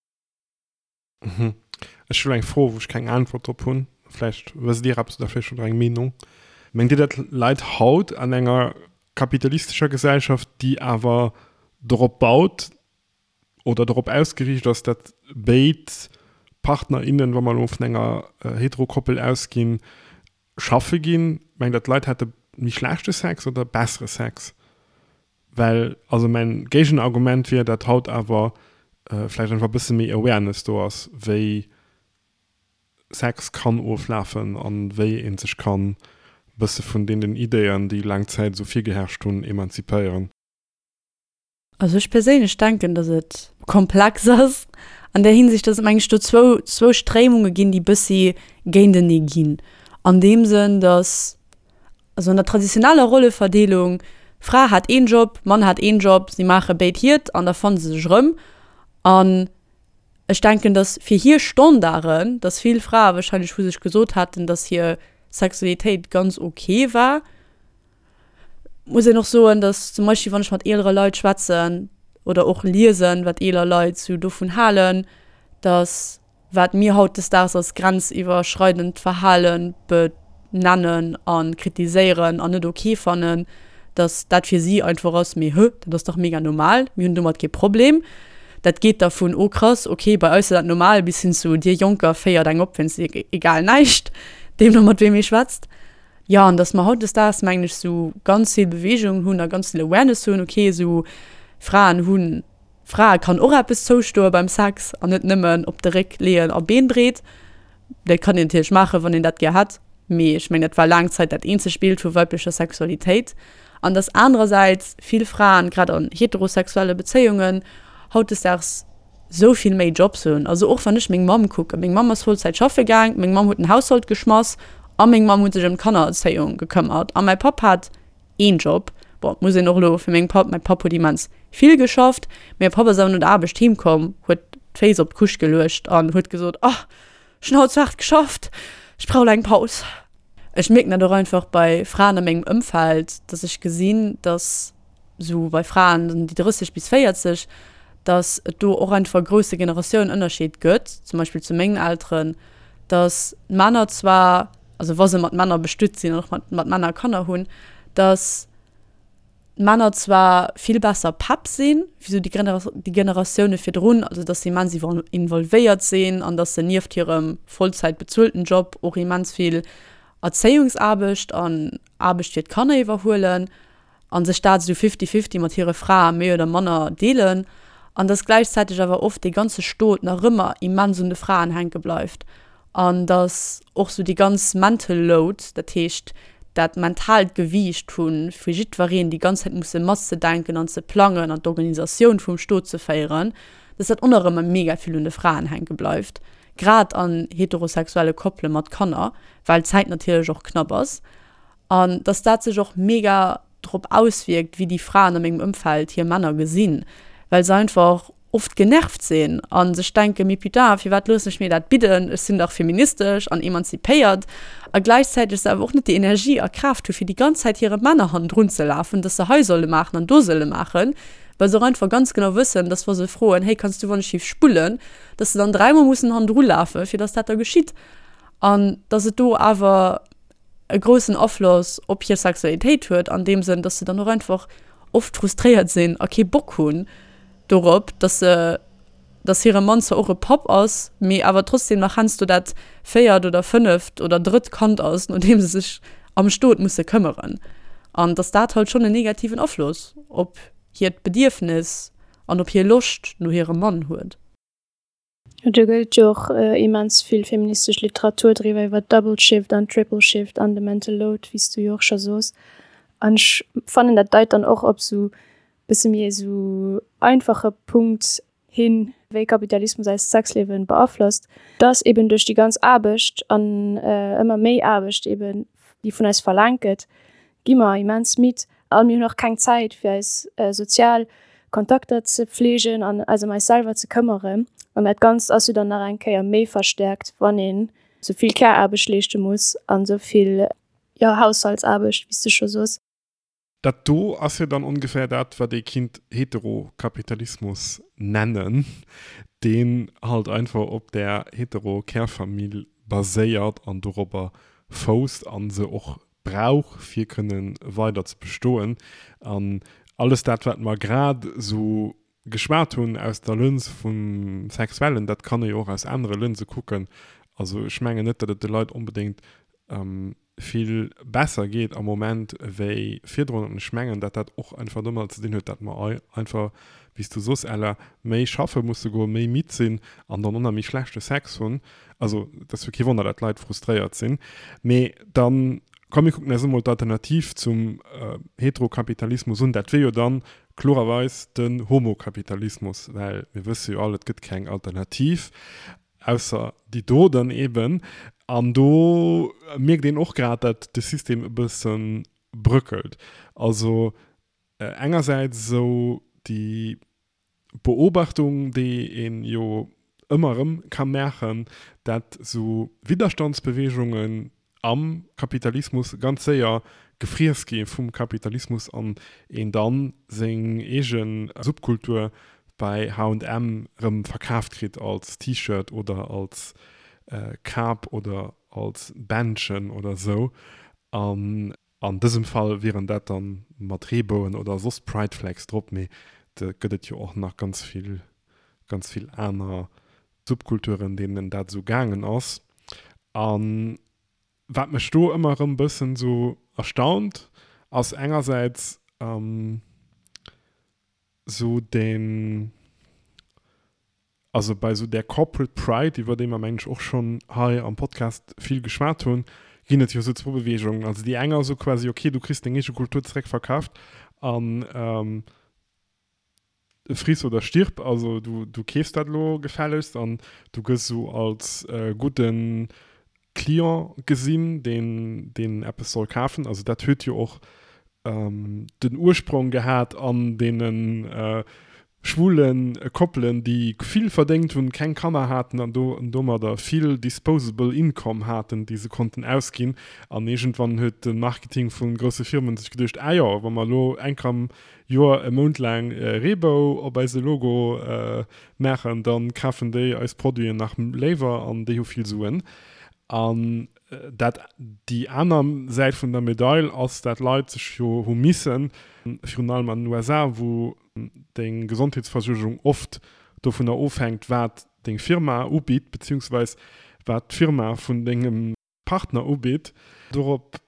[SPEAKER 2] Ech hunn eng Fro, wou ech keng Äntwert drop hunn. Vläicht wësst Dir eppes oder vläicht hutt Der eng Meenung. Mengt Dir, dat läit haut an enger kapitalistescher Gesellschaft, déi awer dorop baut oder dorop ausgeriicht ass, datt béid Partner, innen, wa mer elo vun enger Hetero-Koppel ausginn, schaffe ginn? Mengt Der, d'Leit hätte méi schlechte Sex oder bessere Sex? Well, also mäin Géigenargument wier, datt haut awer vläicht einfach e bësse méi Awareness do ass, wéi Sex kann oflafen an wéi ee sech kann bësse vun deenen Ideeën, déi laang Zäit esou virgeherrscht hunn, emanzipéieren.
[SPEAKER 3] Also ech perséinlech denken, datt et komplex ass an där Hinsicht, datt et meng ech do zwou, zwou Stréimunge ginn, déi bëssi géintenee ginn. An deem Sënn, datt, also an der traditioneller Rolleverdeelung, Fra hat een Job, Mann hat een Job, si maache béid hiert an da fanne se sech erëm. An ech denken, datt fir hir Standarden, datt vill Frae wahrscheinlech vu sech gesot hätten, datt hir Sexualitéit ganz ok war. Muss een och soen, datt zum Beispill wann ech mat eelere Leit schwätzen oder och liesen, wat eeler Leit sou dovun halen, datt wat mir hautdesdaags als grenziwwerschreidend Verhale benennen a kritiséieren an net ok fannen, datt dat fir si einfach ass, mee hë, dat ass dach mega normal, mir hunn domat kee Problem. Dat geet da vun oh krass, ok, bei eis ass dat normal bis hin zu dir Jonker féiert eng op wéinst egal näischt, deemno mat weem ee schwätzt. Jo, an datt mer hautdesdaags, mengen ech, sou ganz vill Beweegung hunn a ganz vill Awareness hunn, ok, sou Fraen hunn, Frae kann och eppes zoustoe beim Sex an net nëmmen op de Réck leeën a Been breet. Dat kann een natierlech maachen, wann een dat gär hätt, mee ech mengen, dat war laang Zäit dat eenzegt Bild vu weiblecher Sexualitéit. An datt anerersäits vill Fraen, grad an heterosexuelle Bezéiungen, hautdesdaags sou vill méi Jobs hunn. Also och wann ech meng Mamm kucken, meng Mamm ass Vollzäit schaffe gaang, meng Mamm huet den Haushalt geschmass a meng Mamm huet sech ëm d'Kannererzéiung gekëmmert a mäi Papp hat een Job. Bon, muss een och elo fir mengem Papp, mäi Papp huet immens vill geschafft, mee mäi Papp ass awer no der Aarbecht heem komm, huet d'Féiss op d'Couche geluecht an huet gesot, Oh, ech hunn haut ze haart geschafft, ech brauch elo eng Paus. Ech mierken dat och einfach bei Fraen a mengem Ëmfeld, dass ech gesinn, dass esou bei Fraen déi drësseg bis véierzeg, dass et do och einfach e grousse Generatiounenënnerscheed gëtt, zum Beispill zu mengen Elteren, dass d'Männer zwar, also wa se mat Männer bestuet sinn an och mat, mat Männer Kanner hunn, dass d'Männer zwar vill besser Papp sinn, wéi sou déi déi Generatioune virdrun, also dass se immens involvéiert sinn an dass se nieft hirem Vollzäit bezuelten Job och immens vill Erzéiungsaarbecht an Aarbecht fir d'Kanner iwwerhuelen a sech dat esou fifty-fifty mat hire Frae méi oder manner deelen an dass gläichzäiteg awer oft dee ganze Stot nach ëmmer immens un de Fraen hänke bleift an dass och sou déi ganz mental load, dat heescht dat mentaalt Gewiicht vu fir jiddwereen déi ganz Zäit musse matzedenken an ze plangen an d'Organisatioun vum Stot ze féieren, dass dat och nach ëmmer mega vill un de Fraen hänke bleift, grad an heterosexuelle Koppele mat Kanner, well d'Zäit natierlech och knapp ass an dass dat sech och mega drop auswierkt, wéi déi Fraen a mengem Ëmfeld hir Männer gesinn, well se einfach oft genervt sinn a sech denken, mee putain, firwat loossen ech mir dat bidden, ech sinn dach feministesch an emanzipéiert a gläichzäiteg se awer och net déi Energie a Kraaft hu fir déi ganz Zäit hire Männer hannendrun ze lafen, dass se hei solle maachen an do solle maachen, well se och einfach ganz genau wëssen, dass wa se froen, hey, kanns du wann ech giff spullen, dass se dann dräimol mussen hannendru lafen, fir dass dat da geschitt an dass et do awer e groussen Afloss op hir Sexualitéit huet, an deem Sënn, dass se dann och einfach oft frustréiert sinn a kee Bock hunn dorop, dass se, dass hire Mann zwar och e Papp ass, mee awer trotzdem nach heiansdo dat véiert oder fënneft oder drëtt Kand ass, no deem se sech am Stot musse këmmeren. An dass dat halt schonn en negativen Afloss op hiert Bedierfnis an op hir Loscht no hirem Mann huet.
[SPEAKER 1] Do gëtt et jo och immens vill feministesch Literatur driwwer, iwwer Double Shift an Triple Shift an de Mental Load, wéi s du jo och scho soos. An ech fannen, dat deit dann och op esou bësse méi esou einfache Punkt hin, wéi Kapitalismus eist Sexliewen beaflosst, dass eben duerch déi ganz Aarbecht an ëmmer méi Aarbecht eben, déi vun eis verlaangt gëtt, gi mer immens midd a mir hunn och keng Zäit fir eis sozial Kontakter ze pflegen an eis ëm eis selwer ze këmmeren. An dat Ganzt ass jo dann nach eng Kéier méi verstäerkt, wann een sou vill Care-Aarbecht leeschte muss an sou vill, jo, Haushaltsaarbecht, wéi s de scho soos.
[SPEAKER 2] Dat do ass jo dann ongeféier dat, wat ee kinnt Heterokapitalismus nennen, deen halt einfach op där Hetero-Kärfamill baséiert an dorobber fousst a se och brauch, fir kënne weider ze bestoen. An alles dat, wat mer grad esou geschwat hunn aus der Lëns vum Sexuellen, dat kann ee jo och aus anere Lënse kucken. Also ech mengen net, datt et de Leit onbedéngt vill besser geet am Moment wéi virdrun. An ech mengen, datt dat och einfach domadder ze dinn huet, datt mer einfach, wéi s du soss, Ella, méi schaffe musse goen, méi midd sinn an dann och nach méi schlechte Sex hunn. Also et ass jo kee Wonner, datt Leit frustréiert sinn. Mee dann, komm mir kucken eis emol d'Alternativ zum Heterokapitalismus un. Dat wier jo dann klorerweis den Homokapitalismus, well mir wësse jo all, et gëtt keng Alternativ. Ausser déi do dann eben. An do mierkt een och grad, datt de System e bësse bröckelt. Also engersäits esou déi Beobachtung, déi ee jo ëmmer erëm ka maachen, datt esou Widderstandsbeweegungen am Kapitalismus ganz séier gefriess gi vum Kapitalismus an een dann seng eege Subkultur bei H und M rëm verkaaft kritt als T-Shirt oder als Kap oder als Bändchen oder sou. An an dësem Fall wieren dat dann mat Reebouen oder soss Pride Flags drop, mee et gëtt et jo och nach ganz vill, ganz vill aner Subkulturen, deenen dat esou gaangen ass. An wat mech do ëmmer erëm bëssen esou erstaunt, ass engersäits esou deen, also bei esou där Corporate Pride, iwwer déi mer mengen ech och schonn hei am Podcast vill geschwat hunn, ginn et jo esou zwou Beweegungen. Also déi eng ass esou quasi, okay, du kriss deng eege Kultur zeréckverkaaft an friss oder stirb, also du, du keefs dat elo gefällegst an du gëss esou als gudde Client gesinn, deen, deen eppes soll kafen. Also dat huet jo och den Ursprong gehat an deene schwule Koppelen, déi vill verdéngt hunn, keng Kanner haten an do domadder vill disposable income haten, déi se konnten ausginn. An iergendwann huet de Marketing vu grousse Firmen sech geduecht, Ah jo, wa mer elo eng Kéier am Joer e Mount laang Reebou op eise Logo maachen, da kafen déi eis Produiten nach léiwer an déi hu vill Suen. An dat déi aner Säit vun der Medail ass, dat Leit sech jo hu missen, virun allem an den U S A, wou deng Gesondheetsversuergung oft dovunner ofhänkt, wat deng Firma ubitt, beziehungsweis wat d'Firma vun dengem Partner ubitt, dorop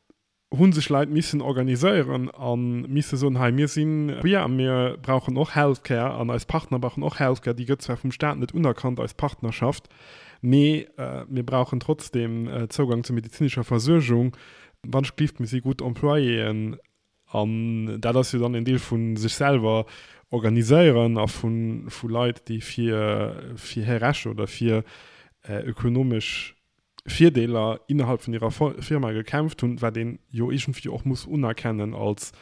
[SPEAKER 2] hu sech Leit missen organiséieren a misse soen, hei mir si queer a mir brauchen och Healthcare an eis Partner brauchen och Healthcare, déi gëtt zwar vum Staat net unerkannt, eis Partnerschaft, mee mir brauchen trotzdeem Zougang zu medezinescher Versuergung, wann ech gelift, mir si gutt Employéen. An dat ass jo dann en Deel vu sech selwer organiséieren a vu Leit, déi fir fir hir Rechter oder fir ökonomesch Virdeeler innerhalb vun hirer Firma gekämpft hunn, wat een jo iergendwéi och muss unerkennen als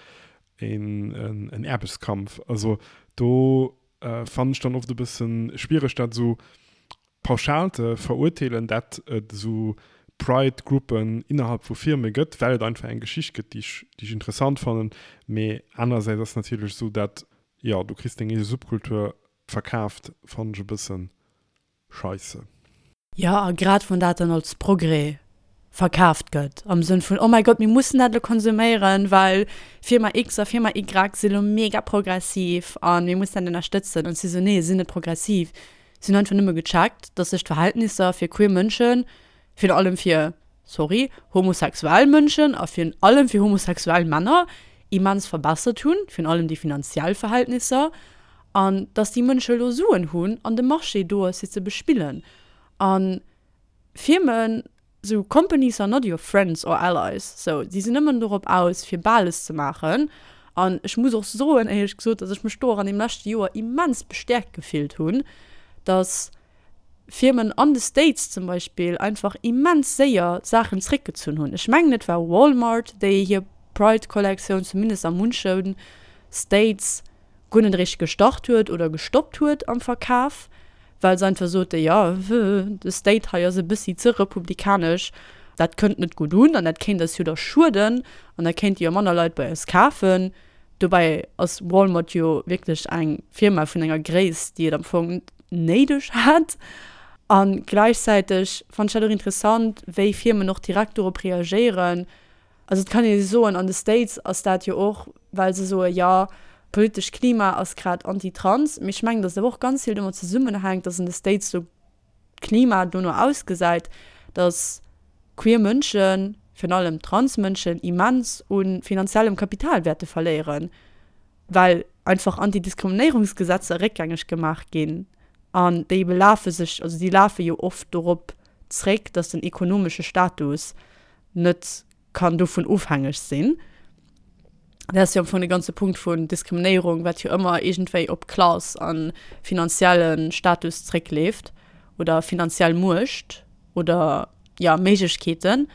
[SPEAKER 2] en Aarbechtskampf. Also do fannen ech dann oft e bësse schwiereg, dat esou pauschal ze verurteelen, dat et esou Pride-Gruppen innerhalb vu Firme gëtt, well et einfach eng Geschicht gëtt, déi ech, déi ech interessant fannen. Mee anerersäits ass natierlech esou, dat, jo, du kriss deng eege Subkultur verkaaft, fannen ech e bëssen scheisse.
[SPEAKER 3] Jo, a grad wann dat dann als Progrès verkaaft gëtt, am Sënn vun, oh mäi Gott, mir mussen dat elo konsuméieren, well Firma X a Firma Y si lo mega progressiv a mir mussen dat ënnerstëtzen. An si sou, nee, si sinn net progressiv, si hunn einfach nëmme gecheckt, dass sech d'Verhältnisser fir queer Mënschen, virun allem fir, sorry, homosexuell Mënschen a virun allem fir homosexuell Männer immens verbessert hunn, virun allem déi finanziell Verhältnisser, an dass déi Mënsche elo Suen hunn an de Marché do ass fir ze bespillen. A Firmen, sou companies are not your friends or allies, sou si sinn nëmmen dorop aus fir Bales ze maachen. An ech muss och soen, éierlech gesot, dass ech mech do och an deem leschte Joer immens bestäerkt gefillt hunn, dass Firmen an de States zum Beispill einfach immens séier Saachen zréckgezunn hunn. Ech mengen et war Walmart, déi hir Pride-Kollektioun zumindest a munche States guer net eréischt gestart huet oder gestoppt huet am Verkaf, well se einfach sote jo, de State hei ass e bëssi ze republikanesch, dat kënnt net gutt un an dat kéint eis jo da schueden an da kéinte jo manner Leit bei eis kafen. Dobäi ass Walmart jo wierklech eng Firma vun enger Gréisst, déi et am Fong net néideg hätt. A gläichzäiteg fannen ech dat och interessant, wéi Firmen och direkt dorop reagéieren. Also et kann ee soen, an de States ass dat jo och, well se soe jo, d'politescht Klima ass grad anti-trans. Mee ech mengen, datt et awer och ganz vill domat zesummenhänkt, datt an de States esou d'Klima dono ausgesäit, datt queer Mënschen, virun allem Transmënschen, immens u finanziellem Kapital wäerte verléieren, well einfach Antidiskriminéierungsgesetzer réckgängeg gemaach ginn an déi belafe sech, also déi lafe jo oft dorop zréck, dass den ekonomesche Status net kann dovun ofhängeg sinn. Dat ass jo am Fong de ganze Punkt vun Diskriminéierung, wat jo ëmmer iergendwéi op Klass a finanzielle Status zréckleeft oder finanziell Muecht oder, jo, Méiglechkeeten.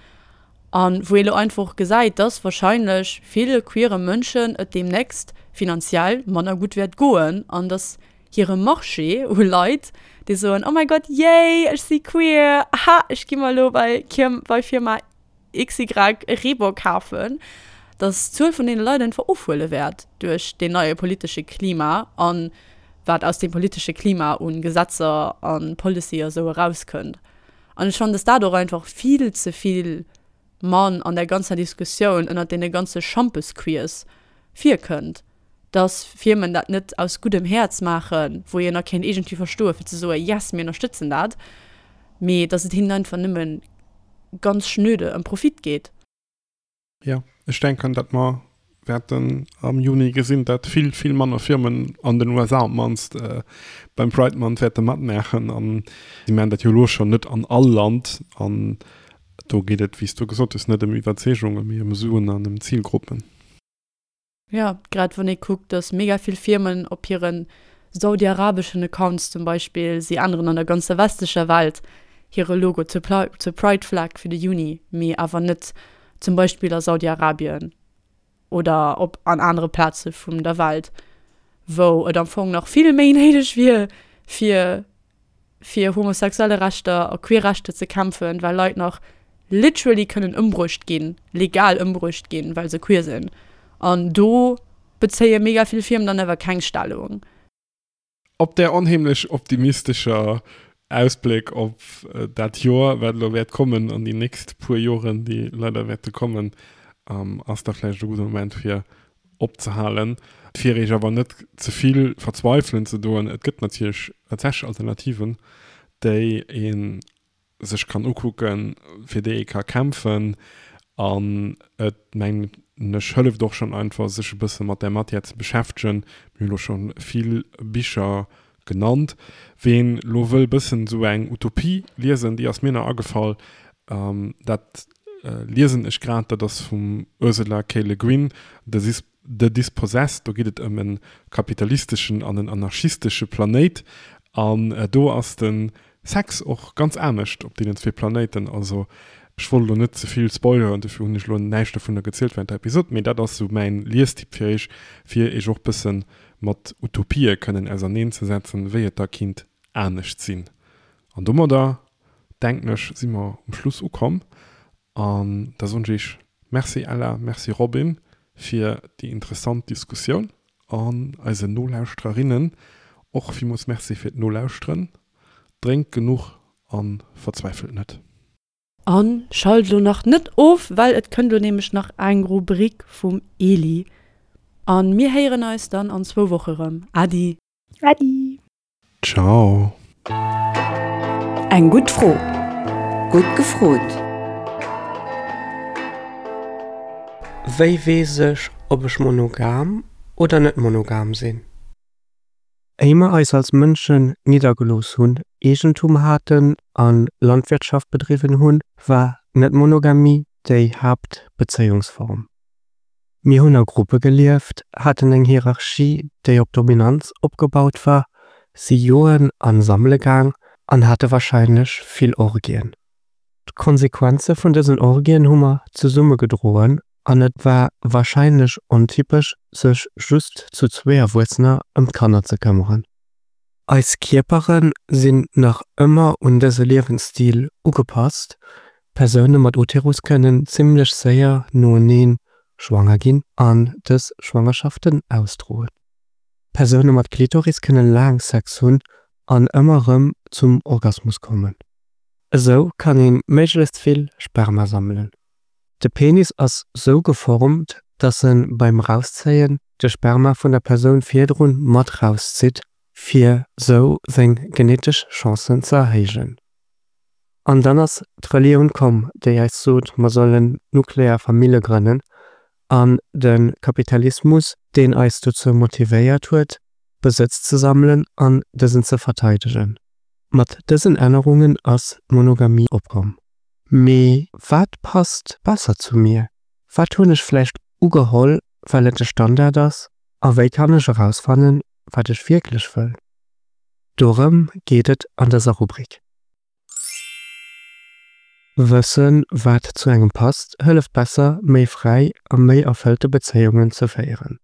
[SPEAKER 3] A wou ee lo einfach och gesäit, dass wahrscheinlech ville queere Mënschen et deemnächst finanziell manner gutt wäert goen an dass hire Marché u Leit, déi soen, Oh mäi Gott, yay, ech si queer, aha, ech gi mer elo bei bei Firma XY e Reebok kafen, dass d'Zuel vun deene Leit einfach ofhuele wäert duerch deen neie politesche Klima an wat aus deem politesche Klima u Gesetzer a Policy a sou erauskënnt. An ech fannen, dass dat och einfach vill ze vill mann an der ganzer Diskussioun ënnert deene ganze Schampes-Queers virkënnt, dass Firmen dat net aus guddem Häerz maachen, wou een nach kéint iergendwéi verstoen, fir ze soen, Yes, mir ënnerstëtzen dat, mee dass et hinnen einfach nëmme ganz schnöde ëm Profit geet.
[SPEAKER 2] Jo, ech denken, datt mer wäerten am Juni gesinn, datt vill, vill manner Firmen an den USA op d'mannst beim Pride Month wäerte matmaachen. An si maachen dat jo elo schonn net an all Land. An do geet et, wéi s du gesot hues, net ëm Iwwerzeegungen, mee ëm Suen an ëm Zilgruppen.
[SPEAKER 3] Jo, grad wann ee kuckt, datt mega vill Firmen op hire saudiarabeschen Accounts zum Beispill, si änneren an der ganzer westlecher Welt hire Logo zur Pride Flag fir de Juni, mee awer net zum Beispill a Saudi-Arabien oder op an anere Plaze vum der Welt, wou et am Fong nach vill méi néideg wier, fir fir homosexuelle Rechter a queer Rechter ze kämpfen, well Leit nach literally kënnen ëmbruecht ginn, legal ëmbruecht ginn, well se queer sinn. An do bezéie mega vill Firmen dann awer keng Stellung.
[SPEAKER 2] Op där onheemlech optimistescher Ausbléck op dat Joer, wat elo wäert kommen, an déi nächst puer Joren, déi leider wäerte kommen, ass da vläicht e gudde Moment, fir opzehalen. Fir Iech awer net ze vill verzweifelen ze doen, et gëtt natierlech tatsächlech Alternativen, déi ee sech kann ukucken, fir déi ee ka kämpfen. An et, mengen ech, hëlleft och schonn einfach, sech e bësse mat där Matière ze beschäftegen. Mir hunn elo scho vill Bicher genannt. Ween lo wëll bëssen esou eng Utopie liesen, déi ass mir nach agefall, dat liesen ech grad, dat ass vum Ursula K. Le Guin, The The Dispossessed. Do geet et ëm e kapitalisteschen an en anarchistesche Planéit an do ass de Sex och ganz anescht op deenen zwee Planéiten. Also ech wollt elo net ze vill spoileren, dofir hunn ech elo näischt dovunner gezielt während der Episod, mee dat ass sou mäin Liestipp fir iech, fir iech och bëssen mat Utopië kënnen auserneen ze setzen, wéi et da kinnt anescht sinn. An domadder, denken ech, si mer um Schluss ukomm an da soen ech iech Merci Ella, Merci Robin fir déi interessant Diskussioun an eisen Nolauschtererinnen och villmools Merci fir d'Nolauschteren. Drénkt genuch an verzweifelt net.
[SPEAKER 3] An schalt lo nach net of, well et kënnt lo nämlech nach eng Rubrik vum Eli. An mir héieren eis dann an zwou Woche rëm. Adi!
[SPEAKER 1] Adi!
[SPEAKER 2] Ciao!
[SPEAKER 4] Eng gutt Fro. Gutt gefrot!
[SPEAKER 5] Wéi weess ech, ob ech monogam oder net monogam sinn? Éi mer eis als Mënschen niddergelooss hunn, Eegentum haten a Landwirtschaft bedriwwen hunn, war d'Net-Monogamie déi Haaptbezéiungsform. Mir hunn a Gruppe gelieft, haten eng Hierarchie, déi op Dominanz opgebaut war, si joen a sammele gaang an hate warscheinlech vill Orgien. D'Konsequenze vun dësen Orgien hu mer zesumme gedroen an et war warscheinlech ontypesch, sech just zu zwee Erwuessener ëm d'Kanner ze këmmeren. Eis Kierpere sinn nach ëmmer un dëse Liewensstil ugepasst. Persoune mat Uterus kënnen zimmlech séier noenee schwanger ginn an dës Schwangerschaften ausdroen. Persoune mat Klitoris kënne laang Sex hunn an ëmmer erëm zum Orgasmus kommen. Esou kann ee méiglechst vill Sperma sammelen. De Penis ass sou geformt, dass e beim Rauszéien de Sperma vun der Persoun virdrun mat rauszitt, fir sou seng genetesch Chancen ze erhéijen. An dann ass d'Relioun komm, déi eis sot, mer sollen nuklear Famille grënnen, an de Kapitalismus, deen eis dozou motivéiert huet, Besëtz ze sammelen an dësen ze verteidegen. Mat dësen Ännerungen ass d'Monogamie opkomm. Mee wat passt besser zu mir? Wat hunn ech vläicht ugeholl, well et de Standard ass? A wéi kann ech erausfannen, wat ech wierklech wëll? Dorëm geet et an dëser Rubrik. Wëssen, wat zu engem passt, hëlleft besser, méi fräi a méi erfëllte Bezéiungen ze féieren.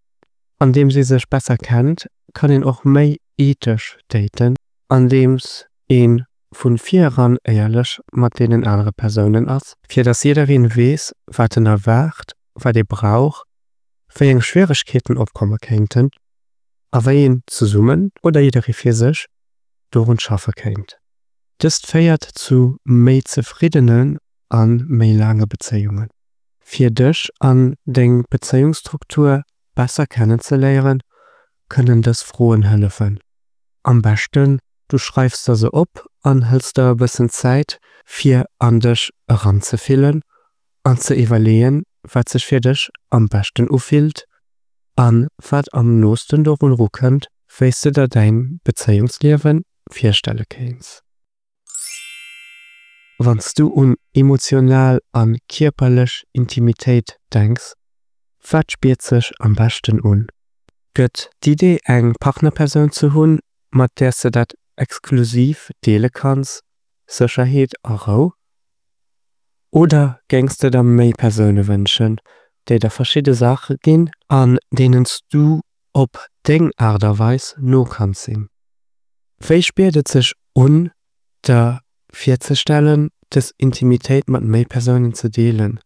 [SPEAKER 5] Andeems ee sech besser kennt, kann een och méi ethesch daten, andeems ee vu vir eran éierlech mat deenen anere Persounen ass, fir dass jiddereen weess, wat en erwaart, wat ee brauch, wéi eng Schwieregkeeten opkomme kéinten a wéi een zesummen oder jidderee fir sech dorun schaffe kéint. Dëst féiert zu méi zefriddenen a méi laange Bezéiungen. Fir dech an deng Bezéiungsstruktur besser kennenzeléieren, kënnen dës Froen hëllefen. Am beschten du schreifs der se op an hëls der e bëssen Zäit fir an dech eranzefillen an ze iwwerleeën, wat sech fir dech am beschten ufillt an wat am noosten dorun erukënnt, wéi s de der däin Bezéiungsliewe virstelle kéints. Wann s du un emotional a kierperlech Intimitéit denks, wat spiert sech am beschten un? Gëtt d'Idee eng Partnerpersoun ze hunn, mat där s de dat exklusiv deele kanns, Sécherheet a Rou? Oder géings de der méi Persoune wënschen, déi der verschidde Saache ginn an deenen s du op deng Aart a Weis no kanns sinn? Wéi spiert et sech un, der virzestellen, dës Intimitéit mat méi Persounen ze deelen?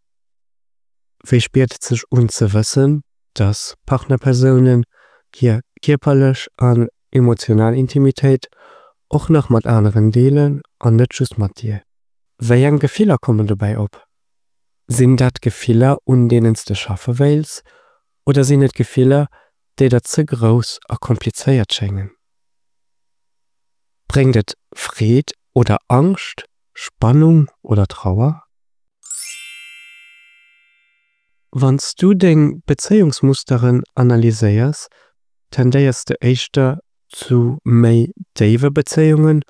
[SPEAKER 5] Wéi spiert et sech un ze wëssen, dass Partnerpersounen hir kierperlech an emotional Intimitéit och nach mat aneren deelen an net just mat dir? Wéi eng Gefiller kommen dobäi op? Sinn dat Gefiller, un deenen s de schaffe wéils, oder sinn et Gefiller, déi der ze grouss a komplizéiert schéngen? Bréngt et Freed oder Angscht, Spannung oder Trauer? Wann s du deng Bezéiungsmusteren analyséiers, tendéiers de éischter zu méi déiwe Bezéiungen,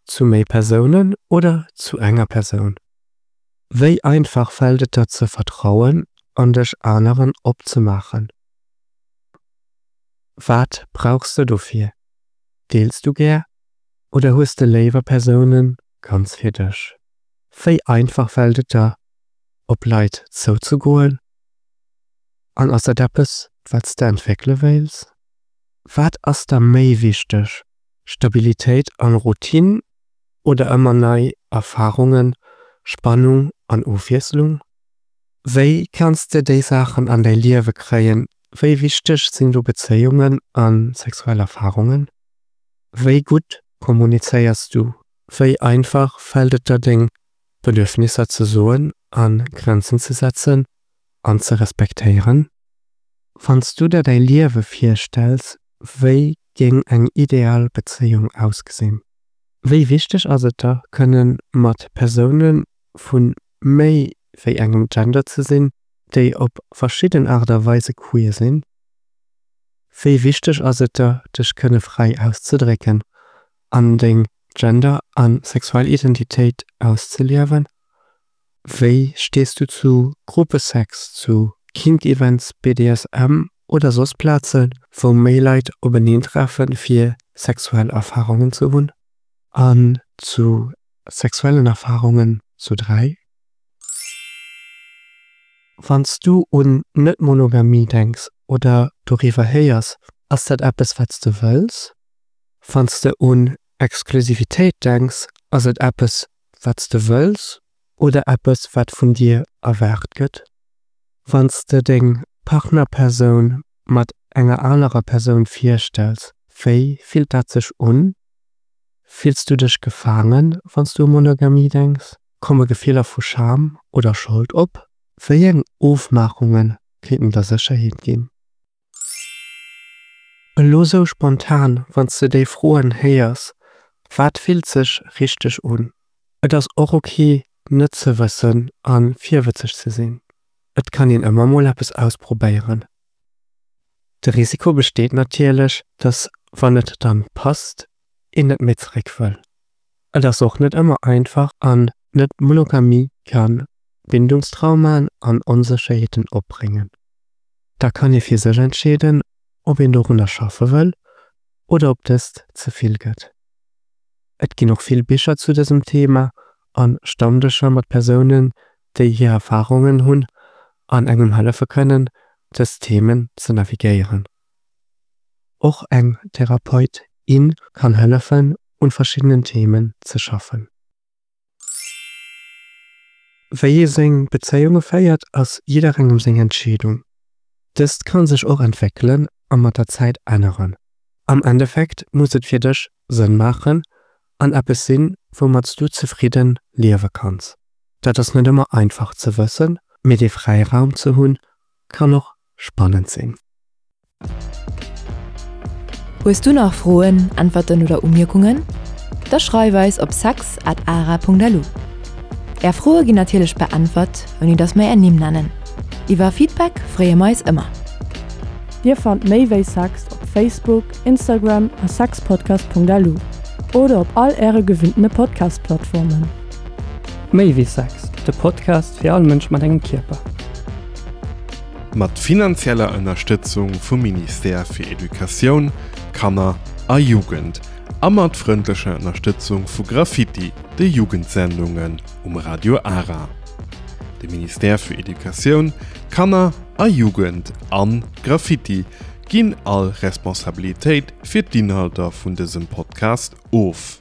[SPEAKER 5] zu méi Persounen oder zu enger Persoun? Wéi einfach fält et der ze vertrauen an dech aneren opzemaachen? Wat brauchs de dofir? Deels du gär oder hues de léiwer Persounen ganz fir dech? Wéi einfach fält et der, op Leit zouzegoen? An ass dat eppes, wat s de entwéckele wéils? Wat ass der méi wichteg, Stabilitéit an Routine oder ëmmer nei Erfarungen, Spannung an Ofwiesslung? Wéi kanns de déi Saachen an däi Liewe kréien? Wéi wichteg sinn do Bezéiungen a sexuell Erfarungen? Wéi gutt kommunizéiers du? Wéi einfach fält et der deng Bedürfnisser ze soen a Grenzen ze setzen an ze respektéieren? Wann s du der däi Liewe virstells, wéi géing eng ideal Bezéiung ausgesinn? Wéi wichteg ass et der, kënne mat Persoune vu méi wéi engem Gender ze sinn, déi op verschidden Aart a Weise queer sinn? Wéi wichteg ass et der, dech kënne fräi auszedrécken an deng Gender a sexuell Identitéit auszeliewen? Wéi stees du zu Gruppesex, zu Kink-Events, BDSM oder soss Plazen, wou méi Leit openeentreffen, fir sexuell Erfarungen ze hunn? An zu sexuellen Erfarungen zu dräi? Wann s du un Net-Monogamie denks oder doriwwer héiers, ass dat eppes, wat s de wëlls? Wann s de un Exklusivitéit denks, ass et eppes, wat s de wëlls oder eppes, wat vun dir erwaart gëtt? Wann s de deng Partnerpersoun mat enger anerer Persoun virstells, wéi fillt dat sech un? Fills du dech gefaangen, wann s du u Monogamie denks? Komme Gefiller vu Scham oder Schold op? Wéi eng Ofmaachunge kéinten der Sécherheet ginn? Elo sou spontan, wann s de déi Froen héiers, wat fillt sech richteg un? Et ass och ok net ze wëssen a virwëtzeg ze sinn. Et kann een ëmmer mol eppes ausprobéieren. De Risiko besteet natierlech, dass wann et dann passt, een net méi zeréck wëll. Et ass och net ëmmer einfach an Net-Monogamie kann Bindungstraumaen an Onsécherheeten opbréngen. Da kann ee fir sech entscheeden, ob een dorunner schaffe wëll oder ob dëst ze vill gëtt. Et ginn och vill Bicher zu dësem Thema an Stammdëscher mat Persounen, déi hir Erfarungen hunn an engem hëllefe kënnen, dës Themen ze navigéieren. Och eng Therapeut, in kann hëllefen, un verschiddenen Themen ze schaffen. Wéi ee seng Bezéiunge féiert, ass jidderengem seng Entscheedung. Dëst kann sech och entwéckelen a mat der Zäit änneren. Am Endeffekt muss et fir dech Sënn maachen an eppes sinn, woumat s du zefridden liewe kanns. Dat ass net ëmmer einfach ze wëssen, mee dee Fräiraum ze hunn, kann och spannend sinn.
[SPEAKER 4] Hues du nach Froen, Äntwerten oder Umierkungen? Da schreif eis op sex at ara Punkt lu. Är Froe ginn natierlech beäntwert, ouni dass mer är Nimm nennen. Iwwer Feedback freeë mer eis ëmmer.
[SPEAKER 3] Dir fannt méi wéi Sex op Facebook, Instagram a sexpodcast.lu oder op all äre gewinntene Podcast-Plattformen.
[SPEAKER 6] Méi wéi Sex, de Podcast fir all Mënsch mat engem Kierper.
[SPEAKER 2] Mat finanzieller Ënnerstëtzung vum Ministère fir Educatioun, Kanner a Jugend a mat frëndlecher Ënnerstëtzung vu Graffiti, de Jugendsendungen um Radio Ara. De Ministère fir Educatioun, Kanner a Jugend an Graffiti ginn all Responsabilitéit fir d'Inhalter vun dësem Podcast of.